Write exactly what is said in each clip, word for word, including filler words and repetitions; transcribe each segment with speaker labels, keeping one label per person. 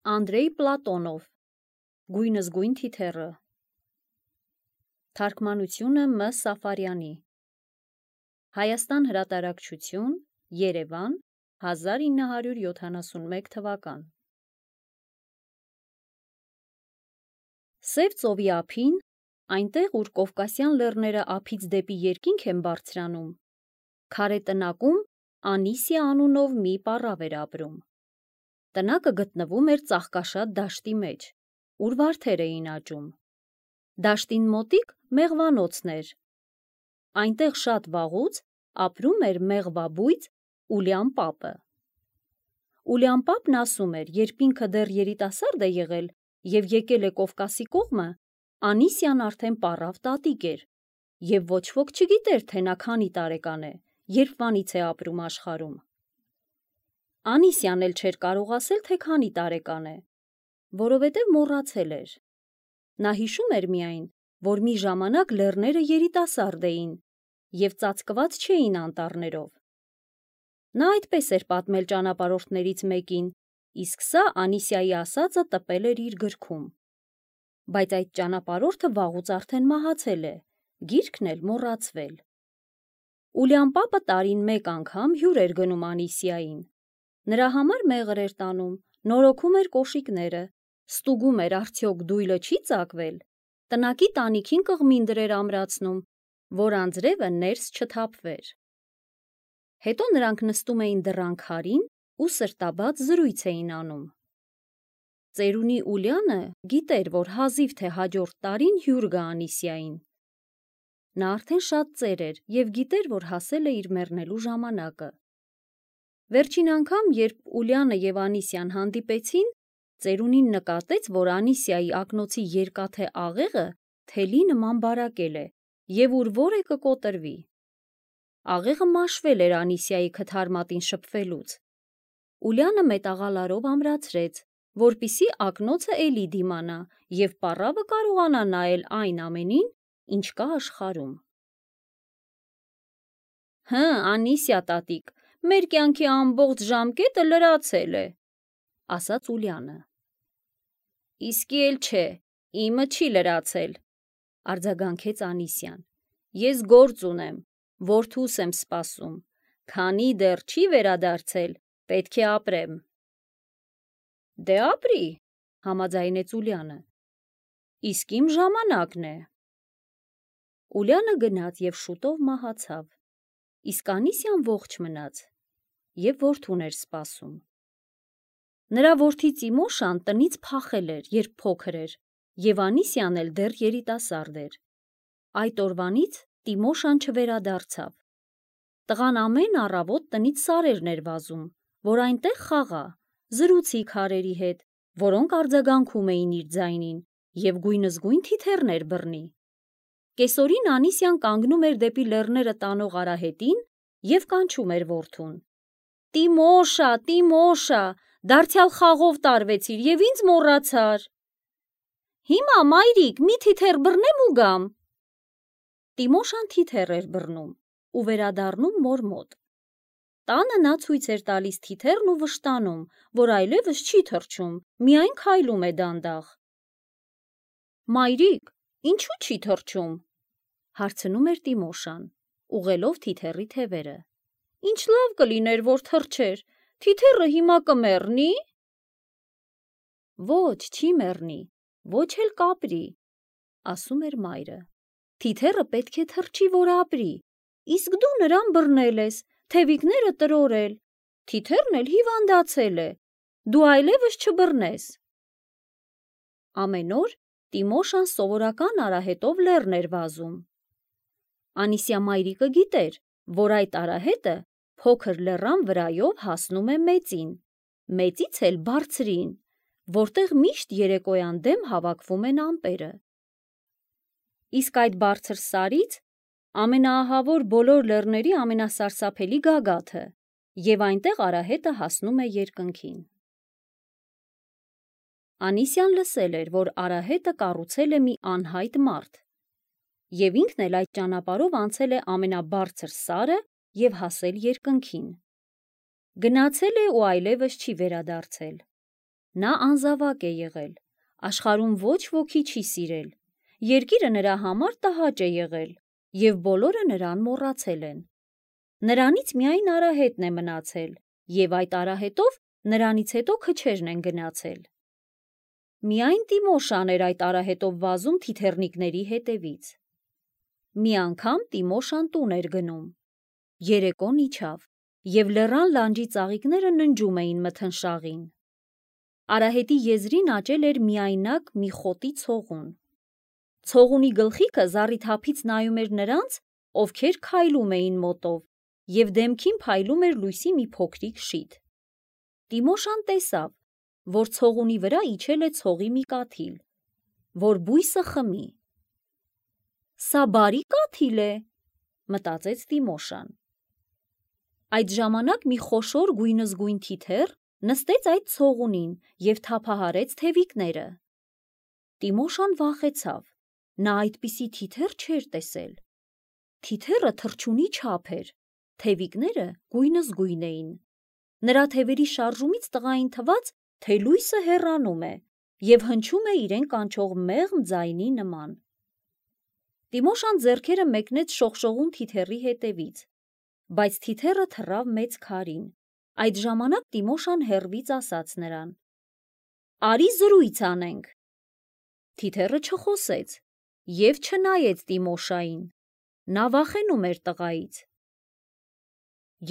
Speaker 1: Անդրեյ Պլատոնով Գույնզգույն թիթեռը Թարգմանությունը Մ. Սաֆարյանի Հայաստան հրատարակչություն Երևան հազար ինը հարյուր յոթանասունմեկ թվական Սև ծովի ափին, այնտեղ ուր Կովկասյան լեռները ափից դեպի երկինք են բարձրանում, քարե տնակում Անիսիա անունով մի պառավ էր ապրում։ Տնակը գտնվում էր ծաղկաշատ դաշտի մեջ, ուր վարդեր էին աճում։ Դաշտին մոտիկ մեղվանոցն էր։ Այնտեղ շատ վաղուց ապրում էր մեղվաբույծ Ուլյան պապը։ Ուլյան պապն ասում էր, երբ ինքը դեռ երիտասարդ է եղել և եկել է Կովկասի կողմը, Անիսիան արդեն պառավ տատիկ էր, և ոչ ոք չգիտեր, թե նա քանի տարեկան է, երբվանից է ապրում աշխարհում։ Անիսիան էլ չէր կարող ասել, թե քանի տարեկան է, որովհետև մոռացել էր։ Նա հիշում էր միայն, որ մի ժամանակ լեռները երիտասարդ էին և ծածկված չէին անտառներով։ Նա այդպես էր պատմել ճանապարհորդներից մեկին, իսկ սա Անիսիայի ասածը տպել էր իր գրքում։ Բայց այդ ճանապարհորդը վաղուց արդեն մահացել է, գիրքն էլ մոռացվել։ Ուլյան պապը տարին մեկ անգամ հյուր էր գնում Անիսիային։ Նրա համար մեղր էր տանում, նորոգում էր կոշիկները, ստուգում էր արդյոք դույլը չի ծակվել, տնակի տանիքին կղմինդր էր ամրացնում, որ անձրևը ներս չթափվեր։ Հետո նրանք նստում էին դռան քարին ու սրտաբաց զրույց էին անում։ Ծերունի Ուլյանը գիտեր, որ հազիվ թե հաջորդ տարին հյուր գա Անիսիային։ Նա արդեն շատ ծեր էր և գիտեր, որ հասել է իր մեռնելու ժամանակը։ Վերջին անգամ, երբ Ուլյանը և Անիսիան հանդիպեցին, ծերունին նկատեց, որ Անիսիայի ակնոցի երկաթե աղեղը թելի նման բարակել է և ուր որ է կկոտրվի։ Աղեղը մաշվել էր Անիսիայի քթարմատին շփվելուց։ Ուլյանը մետաղալարով ամրացրեց, որպեսզի ակնոցը էլի դիմանա և պառավը կարողանա նայել այն ամենին, ինչ կա աշխարհում։ Հը, Անիսիա տատիկ, մեր կյանքի ամբողջ ժամկետը լրացել է, ասաց Ուլյանը։ Իսկի էլ չէ, իմը չի լրացել, արձագանքեց Անիսիան։ Ես գործ ունեմ, որդուս եմ սպասում, քանի դեռ չի վերադարձել, պետք է ապրեմ։ Դե ապրի, համաձայնեց Ուլյանը։ Իսկ իմ ժամանակն է։ Ուլյանը գնաց և շուտով մահացավ, իսկ Անիսիան ողջ մնաց և որդուն էր սպասում։ Նրա որդի Տիմոշան տնից փախել էր, երբ փոքր էր, և Անիսիան էլ դեռ երիտասարդ էր։ Այդ օրվանից Տիմոշան չվերադարձավ։ Տղան ամեն առավոտ տնից սարերն էր վազում, որ այնտեղ խաղա, զրուցի քարերի հետ, որոնք արձագանքում էին իր ձայնին, և գույնզգույն թիթեռներ բռնի։ Կեսօրին Անիսիան կանգնում էր դեպի լեռները տանող արահետին և կանչում էր որդուն. Տիմոշա, Տիմոշա, դարձյալ խաղով տարվեցիր և ինձ մոռացար։ Հիմա, մայրիկ, մի թիթեռ բռնեմ ու գամ։ Տիմոշան թիթեռ էր բռնում ու վերադառնում մոր մոտ։ Տանը նա ցույց էր տալիս թիթեռն ու վշտանում, որ այլևս չի թռչում, միայն քայլում է դանդաղ։ Մայրիկ, ինչու չի թռչում, հարցնում էր Տիմոշան, ուղղելով թիթեռի թևերը։ Ինչ լավ կլիներ, որ թռչեր, թիթեռը հիմա կմեռնի։ Ոչ, չի մեռնի, ոչ էլ կապրի, ասում էր մայրը։ Թիթեռը պետք է թռչի, որ ապրի, իսկ դու նրան բռնել ես, թևիկները տրորել, թիթեռն էլ հիվանդացել է, դու այլևս չբռնես։ Ամեն օր Տիմոշան սովորական արահետով լեռն էր վազում։ Անիսիա մայրիկը գիտեր, որ այդ արահետը փոքր լեռան վրայով հասնում է մեծին, մեծից էլ բարձրին, որտեղ միշտ երեկոյան դեմ հավաքվում են ամպերը։ Իսկ այդ բարձր սարից ամենաահավոր բոլոր լեռների ամենասարսափելի գագաթը, և այնտեղ արահետը հասնում է երկնքին։ Անիսիան լսել էր, որ արահետը կառուցել է մի անհայտ մարդ, և ինքն էլ այդ ճանապարհով անցել է ամենաբարձր սարը և հասել երկնքին։ Գնացել է ու այլևս չի վերադարձել։ Նա անզավակ է եղել, աշխարհում ոչ ոքի չի սիրել, երկիրը նրա համար տհաճ է եղել, և բոլորը նրան մոռացել են։ Նրանից միայն արահետն է մնացել, և այդ արահետով նրանից հետո քչերն են գնացել։ Միայն Տիմոշան էր այդ արահետով վազում թիթեռնիկների հետևից։ Մի անգամ Տիմոշան տուն էր գնում։ Երեկոն իջավ, և լեռան լանջի ծաղիկները ննջում էին մթնշաղին։ Արահետի եզրին աճել էր միայնակ մի խոտի ցողուն։ Ցողունի գլխիկը զառիթափից նայում էր նրանց, ովքեր քայլում էին մոտով, և դեմքին փայլում էր լույսի մի փոքրիկ շիթ։ Տիմոշան տեսավ, որ ցողունի վրա իջել է ցողի մի կաթիլ, որ բույսը խմի։ «Սա բարի կաթիլ է», մտածեց Տիմոշան։ Այդ ժամանակ մի խոշոր գույնզգույն թիթեռ նստեց այդ ցողունին և թափահարեց թևիկները։ Տիմոշան վախեցավ, նա այդպիսի թիթեռ չէր տեսել։ Թիթեռը թռչունի չափ էր, թևիկները գույնզգույն էին։ Նրա թևերի շարժումից տղային թվաց, թե լույսը հեռանում է և հնչում է իրեն կանչող մեղմ ձայնի նման։ Տիմոշան ձեռքերը մեկնեց շողշողուն թիթեռի հետևից, բայց թիթեռը թռավ մեծ քարին։ Այդ ժամանակ Տիմոշան հեռվից ասաց նրան. «Արի զրույց անենք»։ Թիթեռը չխոսեց և չնայեց Տիմոշային, նա վախենում էր տղայից։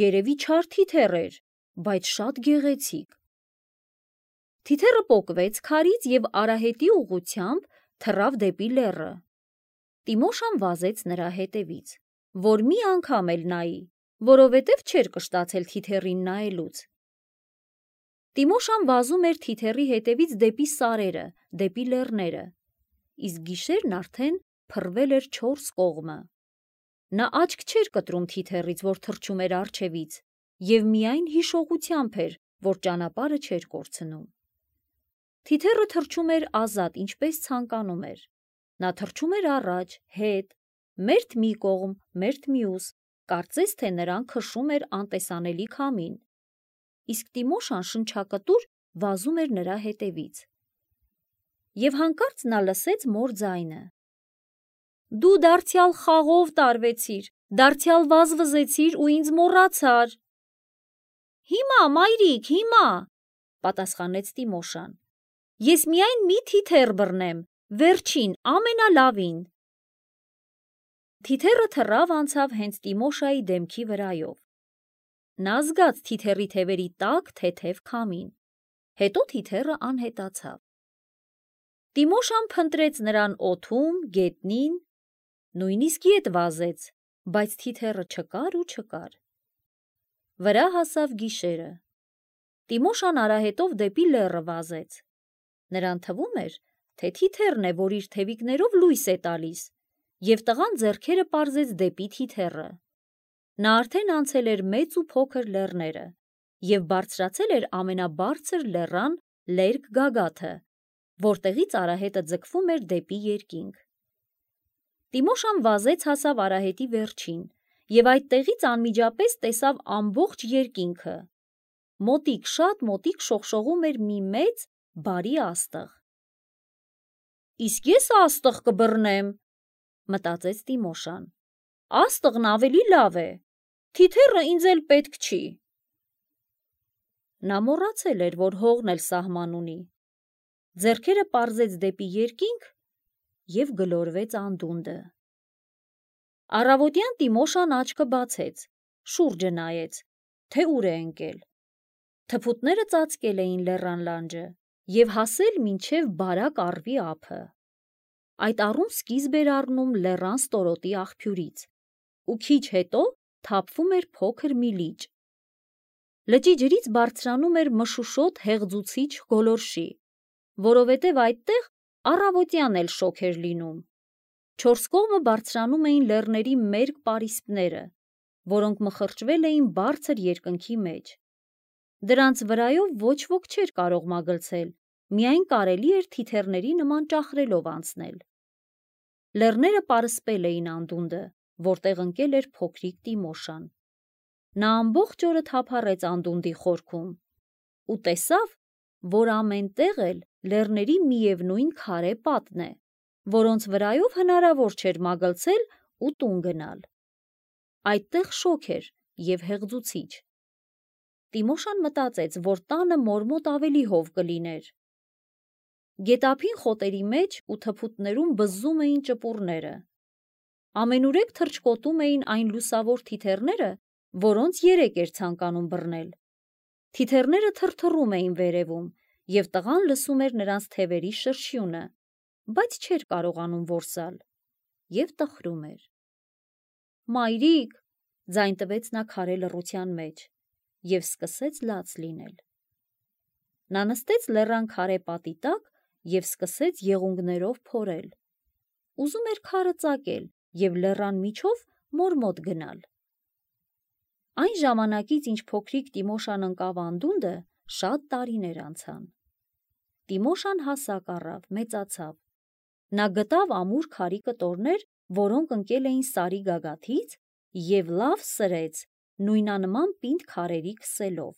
Speaker 1: Երևի չար թիթեռ էր, բայց շատ գեղեցիկ։ Թիթեռը պոկվեց քարից և արահետի ուղղությամբ թռավ դեպի լեռը։ Տիմոշան վազեց նրա հետևից, որ մի անգամ էլ նայի, որովհետև չէր կշտացել թիթեռին նայելուց։ Տիմոշան վազում էր թիթեռի հետևից դեպի սարերը, դեպի լեռները, իսկ գիշերն արդեն փռվել էր չորս կողմը։ Նա աչք չէր կտրում թիթեռից, որ թռչում էր առջևից, և միայն հիշողությամբ էր, որ ճանապարհը չէր կորցնում։ Թիթեռը թռչում էր ազատ, ինչպես ցանկանում էր։ Նա թռչում էր առաջ, հետ, մերթ մի կողմ, մերթ մյուս, կարծես թե նրան քշում էր անտեսանելի քամին, իսկ Տիմոշան շնչակտուր վազում էր նրա հետևից։ Եվ հանկարծ նա լսեց մոր ձայնը. «Դու դարձյալ խաղով տարվեցիր, դարձյալ վազվզեցիր ու ինձ մոռացար»։ «Հիմա, մայրիկ, հիմա», պատասխանեց Տիմոշան։ «Ես միայն մի թիթեռ բռնեմ, վերջին, ամենալավին»։ Թիթեռը թռավ անցավ հենց Տիմոշայի դեմքի վրայով։ Նա զգաց թիթեռի թևերի տաք թեթև քամին, հետո թիթեռը անհետացավ։ Տիմոշան փնտրեց նրան օդում, գետնին, նույնիսկ ետ վազեց, բայց թիթեռը չկար ու չկար։ Վրա հասավ գիշերը։ Տիմոշան արահետով դեպի լեռը վազեց։ Նրան թվում էր, թե թիթեռն է, որ իր թևիկներով լույս է տալիս, և տղան ձեռքերը պարզեց դեպի թիթեռը։ Նա արդեն անցել էր մեծ ու փոքր լեռները և բարձրացել էր ամենաբարձր լեռան լերկ գագաթը, որտեղից արահետը ձգվում էր դեպի երկինք։ Տիմոշան վազեց հասավ արահետի վերջին և այդտեղից անմիջապես տեսավ ամբողջ երկինքը։ Մոտիկ, շատ մոտիկ շողշողում էր մի մեծ, բարի աստղ։ «Իսկ ես աստղ կբռնեմ», մտածեց Տիմոշան։ «Աստղն ավելի լավ է, թիթեռը ինձ էլ պետք չի»։ Նա մոռացել էր, որ հողն էլ սահման ունի։ Ձեռքերը պարզեց դեպի երկինք և գլորվեց անդունդը։ Առավոտյան Տիմոշան աչքը բացեց, շուրջը նայեց, թե ուր է ընկել։ Թփուտները ծածկել էին լեռան լանջը և հասել մինչև բարակ առվի ափը։ Այդ առում սկիզբ էր առնում լեռան ստորոտի աղբյուրից, ու քիչ հետո թափվում էր փոքր մի լիճ։ Լճի ջրից բարձրանում էր մշուշոտ հեղձուցիչ գոլորշի, որովհետև այդտեղ առավոտյան էլ շոգ էր լինում։ Չորս կողմը բարձրանում էին լեռների մերկ պարիսպները, որոնք մխրճվել էին բարձր երկնքի մեջ։ Դրանց վրայով ոչ ոք չէր կարող մագլցել, միայն կարելի էր թիթեռների նման ճախրելով անցնել։ Լեռները պարսպել էին անդունդը, որտեղ ընկել էր փոքրիկ Տիմոշան։ Նա ամբողջ օրը թափառեց անդունդի խորքում ու տեսավ, որ ամենտեղ էլ լեռների միևնույն քարե պատն է, որոնց վրայով հնարավոր չէր մագլցել ու տուն գնալ։ Այդտեղ շոգ էր և հեղձուցիչ։ Տիմոշան մտածեց, որ տանը մոր մոտ ավելի հով կլիներ։ Գետափին խոտերի մեջ ու թփուտներում բզզում էին ճպուռները։ Ամենուրեք թռչկոտում էին այն լուսավոր թիթեռները, որոնց երեք էր ցանկանում բռնել։ Թիթեռները թրթռում էին վերևում, և տղան լսում էր նրանց թևերի շրշյունը, բայց չէր կարողանում որսալ, և տխրում էր։ «Մայրիկ», ձայն տվեց նա քարե լռության մեջ, և սկսեց լաց լինել։ Նա նստեց լեռան քարե պատի տակ և սկսեց եղունգներով փորել։ Ուզում էր քարը ծակել և լեռան միջով մոր մոտ գնալ։ Այն ժամանակից, ինչ փոքրիկ Տիմոշան ընկավ անդունդը, շատ տարիներ անցան։ Տիմոշան հասակ առավ, մեծացավ։ Նա գտավ ամուր քարի կտորներ, որոնք ընկել էին սարի գագաթից, և լավ սրեց նույնանման պինդ քարերի քսելով։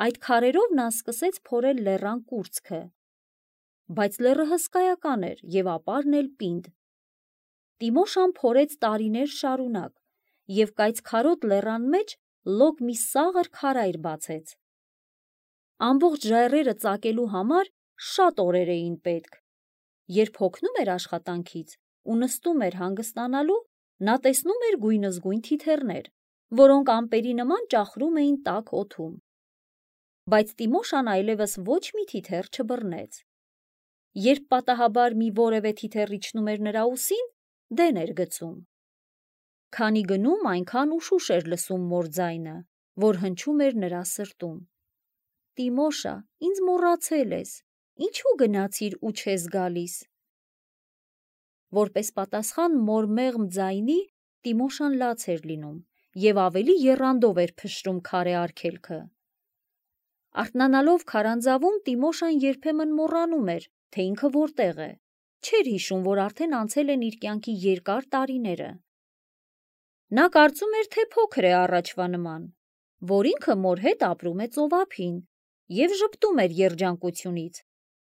Speaker 1: Այդ քարերով նա սկսեց փորել լեռան կուրծքը, բայց լեռը հսկայական էր և ապարն էլ պինդ։ Տիմոշան փորեց տարիներ շարունակ և կայծքարոտ լեռան մեջ լոկ մի սաղր քարայր բացեց։ Ամբողջ ժայռերը ծակելու համար շատ օրեր էին պետք։ Երբ հոգնում էր աշխատանքից ու նստում էր հանգստանալու, նա տեսնում էր գույնզգույն թիթեռներ, որոնք ամպերի նման ճախրում էին տաք օդում։ Բայց Տիմոշան այլևս ոչ մի թիթեռ չբռնեց։ Երբ պատահաբար մի որևէ թիթեռ իջնում էր նրա ուսին, դեն էր գցում։ Քանի գնում, այնքան ուշուշ էր լսում մոր ձայնը, որ հնչում էր նրա սրտում. «Տիմոշա, ինձ մոռացել ես, ինչու գնացիր ու չես գալիս»։ Որպես պատասխան մոր մեղմ ձայնի, Տիմոշան լաց էր լինում և ավելի եռանդով էր փշրում քարե արգելքը։ Արթնանալով քարանձավում, Տիմոշան երբեմն մոռանում էր, թե ինքը որտեղ է, չէր հիշում, որ արդեն անցել են իր կյանքի երկար տարիները։ Նա կարծում էր, թե փոքր է առաջվա նման, որ ինքը մոր հետ ապրում է ծովափին և ժպտում էր երջանկությունից,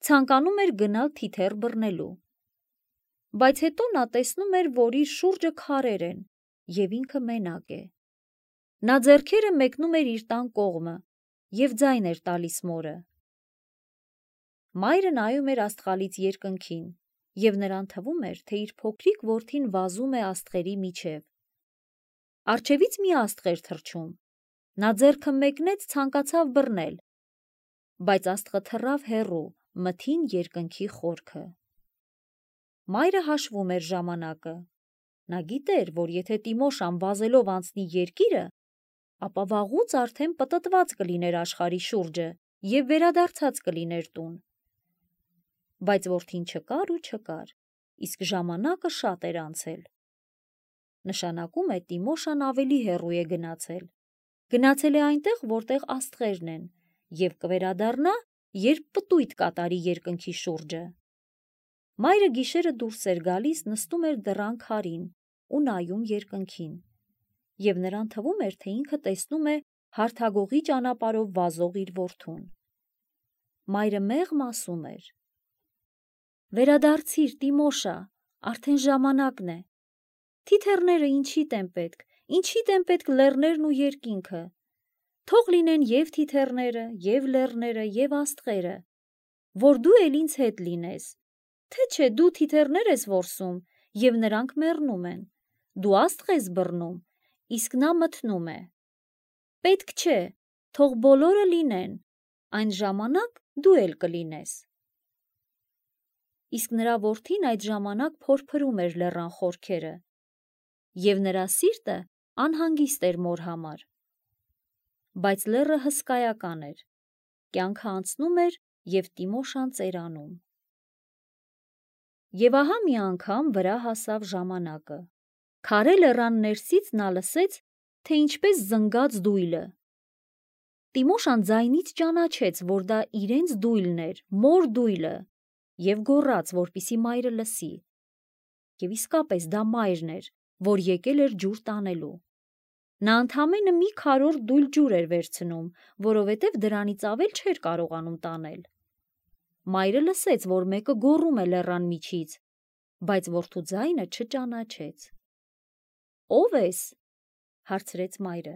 Speaker 1: ցանկանում էր գնալ թիթեռ բռնելու։ Բայց հետո նա տեսնում էր, որ իր շուրջը քարեր են, և ինքը մենակ է։ Նա ձեռքերը մեկնում էր իր տան կողմը և ձայն էր տալիս մորը։ Մայրը նայում էր աստղալից երկնքին, և նրան թվում էր, թե իր փոքրիկ որդին վազում է աստղերի միջև։ Առջևից մի աստղ էր թռչում։ Նա ձեռքը մեկնեց, ցանկացավ բռնել, բայց աստղը թռավ հեռու, մթին երկնքի խորքը։ Մայրը հաշվում էր ժամանակը։ Նա գիտեր, որ եթե Տիմոշան վազելով անցնի երկիրը, ապա վաղուց արդեն պտտված կլիներ աշխարհի շուրջը և վերադարձած կլիներ տուն։ Բայց որդին չկար ու չկար, իսկ ժամանակը շատ էր անցել։ Նշանակում է Տիմոշան ավելի հեռու է գնացել։ Գնացել է այնտեղ, որտեղ աստղերն են, և կվերադառնա, երբ պտույտ կատարի երկնքի շուրջը։ Մայրը գիշերը դուրս էր գալիս, նստում էր դռան քարին ու նայում երկնքին, և նրան թվում էր, թե ինքը տեսնում է հարթագողի ճանապարհով վազող իր որդուն։ Մայրը մեղմ ասում էր. «Վերադարձիր, Տիմոշա, արդեն ժամանակն է։ Թիթեռները ինչիդ են պետք, ինչիդ են պետք լեռներն ու երկինքը։ Թող լինեն և թիթեռները, և լեռները, և աստղերը, որ դու էլ ինձ հետ լինես, թե չէ դու թիթեռներ ես որսում, և նրանք մեռնում են, դու աստղ ես բռնում, իսկ նա մթնում է։ Պետք չէ, թող բոլորը լինեն, այն ժամանակ դու էլ կլինես»։ Իսկ նրա որդին այդ ժամանակ փորփրում էր լեռան խորքերը, և նրա սիրտը անհանգիստ էր մոր համար։ Բայց լեռը հսկայական էր, կյանքը անցնում էր, և Տիմոշան ծերանում։ Եվ ահա մի անգամ վրա հասավ ժամանակը։ Քարե լեռան ներսից նա լսեց, թե ինչպես զնգաց դույլը։ Տիմոշան ձայնից ճանաչեց, որ դա իրենց դույլն էր, մոր դույլը, և գոռաց, որպեսզի մայրը լսի։ Եվ իսկապես դա մայրն էր, որ եկել էր ջուր տանելու։ Նա ընդամենը մի քարոր դույլ ջուր էր վերցնում, որովհետև դրանից ավել չէր կարողանում տանել։ Մայրը լսեց, որ մեկը գոռում է լեռան միջից, բայց որդու ձայնը չճանաչեց։ «Ո՞վ ես», հարցրեց մայրը։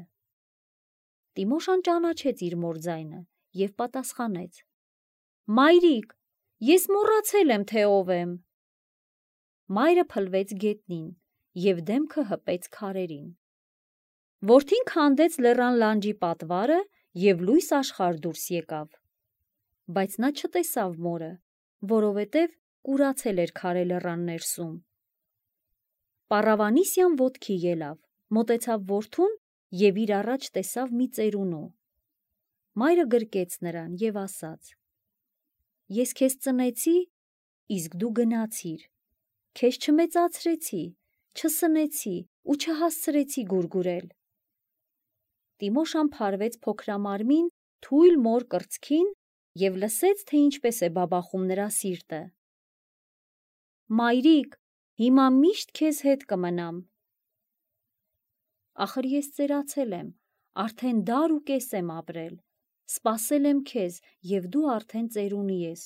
Speaker 1: Տիմոշան ճանաչեց իր մոր ձայնը և պատասխանեց. «Մայրիկ, ես մոռացել եմ, թե ով եմ»։ Մայրը փլվեց գետնին և դեմքը հպեց քարերին։ Որդին քանդեց լեռան լանջի պատվարը և լույս աշխարհ դուրս եկավ, բայց նա չտեսավ մորը, որովհետև կուրացել էր քարե լեռան ներսում։ Պառավանիսյան ոտքի ելավ, մոտեցավ որդուն և իր առաջ տեսավ մի ծերունու։ Մայրը գրկեց նրան և ասաց. «Ես քեզ ծնեցի, իսկ դու գնացիր, քեզ չմեծացրեցի, չսնեցի ու չհասցրեցի գուրգուրել»։ Տիմոշան փարվեց փոքրամարմին թույլ մոր կրծքին և լսեց, թե ինչպես է բաբախում նրա սիրտը։ «Մայրիկ, հիմա միշտ քեզ հետ կմնամ»։ Ախր ես ծերացել եմ, արդեն դար ու կես եմ ապրել, սպասել եմ քեզ և դու արդեն ծերունի ես,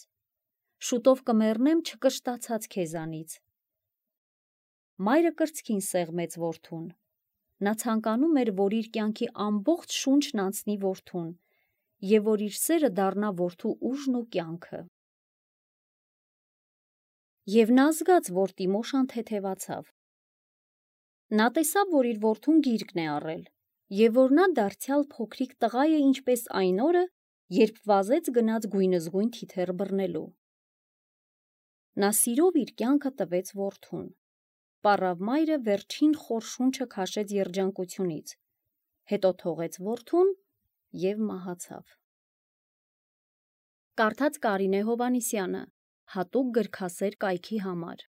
Speaker 1: շուտով կմեռնեմ չկշտացած քեզանից։ Մայրը կրծքին սեղմեց որդուն։ Նա ցանկանում էր, որ իր կյանքի ամբողջ շունչն անցնի որդուն և որ իր սերը դառնա որդու ուժն ու կյանքը։ Եվ նա զգաց, որ Տիմոշան թեթևացավ։ Նա տեսավ, որ իր որդուն գիրկն է առել և որ նա դարձյալ փոքրիկ տղա է, ինչպես այն օրը, երբ վազեց գնաց գույնզգույն թիթեռ բռնելու։ Նա սիրով իր կյանքը տվեց որդուն։ Պառավ մայրը վերջին խոր շունչը քաշեց երջանկությունից, հետո թողեց որդուն և մահացավ։ Կարդաց Կարինե Հովհաննիսյանը, հատուկ գրքասեր կայքի համար։